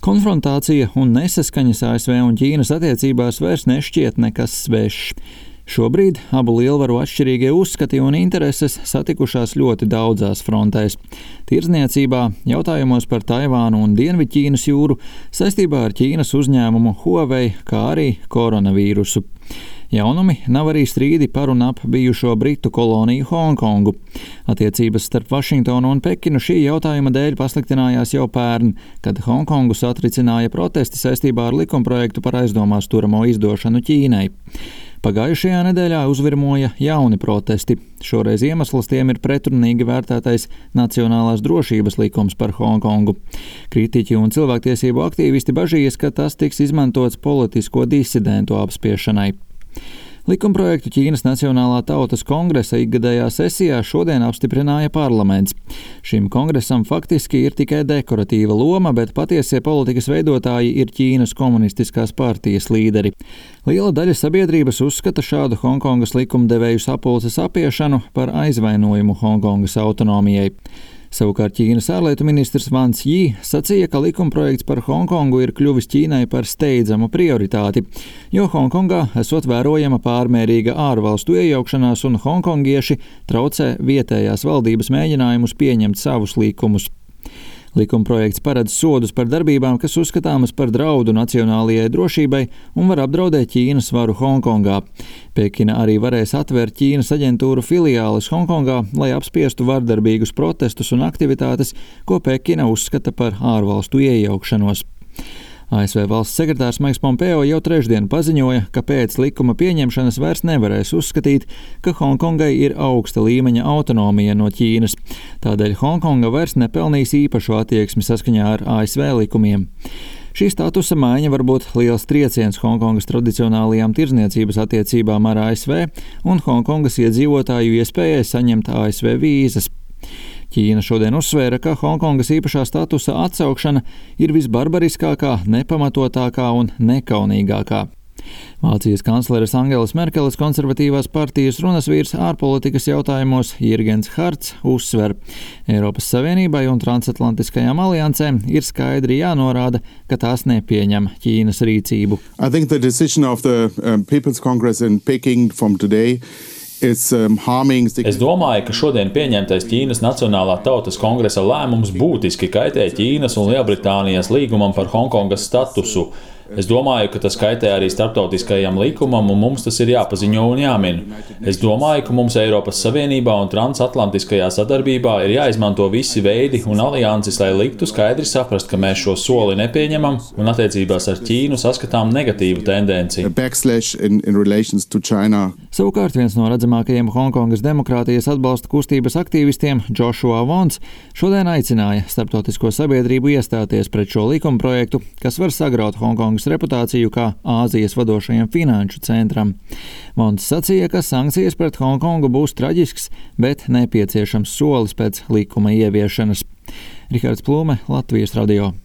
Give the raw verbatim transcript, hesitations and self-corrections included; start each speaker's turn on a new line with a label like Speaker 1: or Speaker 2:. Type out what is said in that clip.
Speaker 1: Konfrontācija un nesaskaņas A S V un Ķīnas attiecībās vairs nešķiet nekas svešs. Šobrīd abu lielvaru atšķirīgie uzskati un intereses satikušās ļoti daudzās frontēs. Tirdzniecībā, jautājumos par Taivānu un Dienvidķīnas jūru, saistībā ar Ķīnas uzņēmumu Huawei, kā arī koronavīrusu. Jaunumi nav arī strīdi par un ap bijušo britu koloniju Hongkongu. Attiecības starp Vašingtonu un Pekinu šī jautājuma dēļ pasliktinājās jau pērn, kad Hongkongu satricināja protesti saistībā ar likumprojektu par aizdomās turamo izdošanu Ķīnai. Pagājušajā nedēļā uzvirmoja jauni protesti. Šoreiz iemesls tiem ir pretrunīgi vērtētais Nacionālās drošības likums par Hongkongu. Kritiķi un cilvēktiesību aktīvisti bažījas, ka tas tiks izmantots politisko disidentu apspiešanai. Likumprojektu Ķīnas Nacionālā tautas kongresa ikgadējā sesijā šodien apstiprināja parlaments. Šim kongresam faktiski ir tikai dekoratīva loma, bet patiesie politikas veidotāji ir Ķīnas komunistiskās partijas līderi. Liela daļa sabiedrības uzskata šādu Hongkongas likumdevēju sapulces apiešanu par aizvainojumu Hongkongas autonomijai. Savukārt Ķīnas ārlietu ministrs Vans Jī sacīja, ka likumprojekts par Hongkongu ir kļuvis Ķīnai par steidzamu prioritāti, jo Hongkongā esot vērojama pārmērīga ārvalstu iejaukšanās un hongkongieši traucē vietējās valdības mēģinājumus pieņemt savus likumus. Likumprojekts paredz sodus par darbībām, kas uzskatāmas par draudu nacionālajai drošībai un var apdraudēt Ķīnas varu Hongkongā. Pekina arī varēs atvērt Ķīnas aģentūru filiāles Hongkongā, lai apspiestu vardarbīgus protestus un aktivitātes, ko Pekina uzskata par ārvalstu iejaukšanos. A S V valsts sekretārs Maiks Pompeo jau trešdien paziņoja, ka pēc likuma pieņemšanas vairs nevarēs uzskatīt, ka Hongkongai ir augsta līmeņa autonomija no Ķīnas. Tādēļ Hongkonga vairs nepelnīs īpašu attieksmi saskaņā ar A S V likumiem. Šī statusa maiņa var būt liels trieciens Hongkongas tradicionālajām tirdzniecības attiecībām ar A S V un Hongkongas iedzīvotāju iespējai saņemt A S V vīzas. Ķīna šodien uzsvēra, ka Hongkongas īpašā statusa atsaukšana ir visbarbariskākā, nepamatotākā un nekaunīgākā. Vācijas kancleres Angelas Merkeles konservatīvās partijas runas vīrs ārpolitikas jautājumos Jirgens Harts uzsver: Eiropas Savienībai un transatlantiskajām aliansēm ir skaidri jānorāda, ka tās nepieņem Ķīnas rīcību.
Speaker 2: I think the decision of the um, People's Congress in Peking from today Es
Speaker 3: domāju, ka šodien pieņemtais Ķīnas Nacionālā tautas kongresa lēmums būtiski kaitē Ķīnas un Lielbritānijas līgumam par Hongkongas statusu. Es domāju, ka tas kaitē arī starptautiskajam likumam, un mums tas ir jāpaziņo un jāmin. Es domāju, ka mums Eiropas Savienībā un transatlantiskajā sadarbībā ir jāizmanto visi veidi un alianses, lai liktu skaidri saprast, ka mēs šo soli nepieņemam un attiecībās ar Ķīnu saskatām negatīvu tendenci.
Speaker 2: In, in
Speaker 1: Savukārt viens no redzamākajiem Hongkongas demokrātijas atbalsta kustības aktīvistiem, Joshua Wons, šodien aicināja starptautisko sabiedrību iestāties pret šo likumprojektu, kas var sagraut Hongkongas reputāciju kā Āzijas vadošajam finanšu centram. Vons sacīja, ka sankcijas pret Hongkongu būs traģisks, bet nepieciešams solis pēc likuma ieviešanas. Rihards Plūme, Latvijas radio.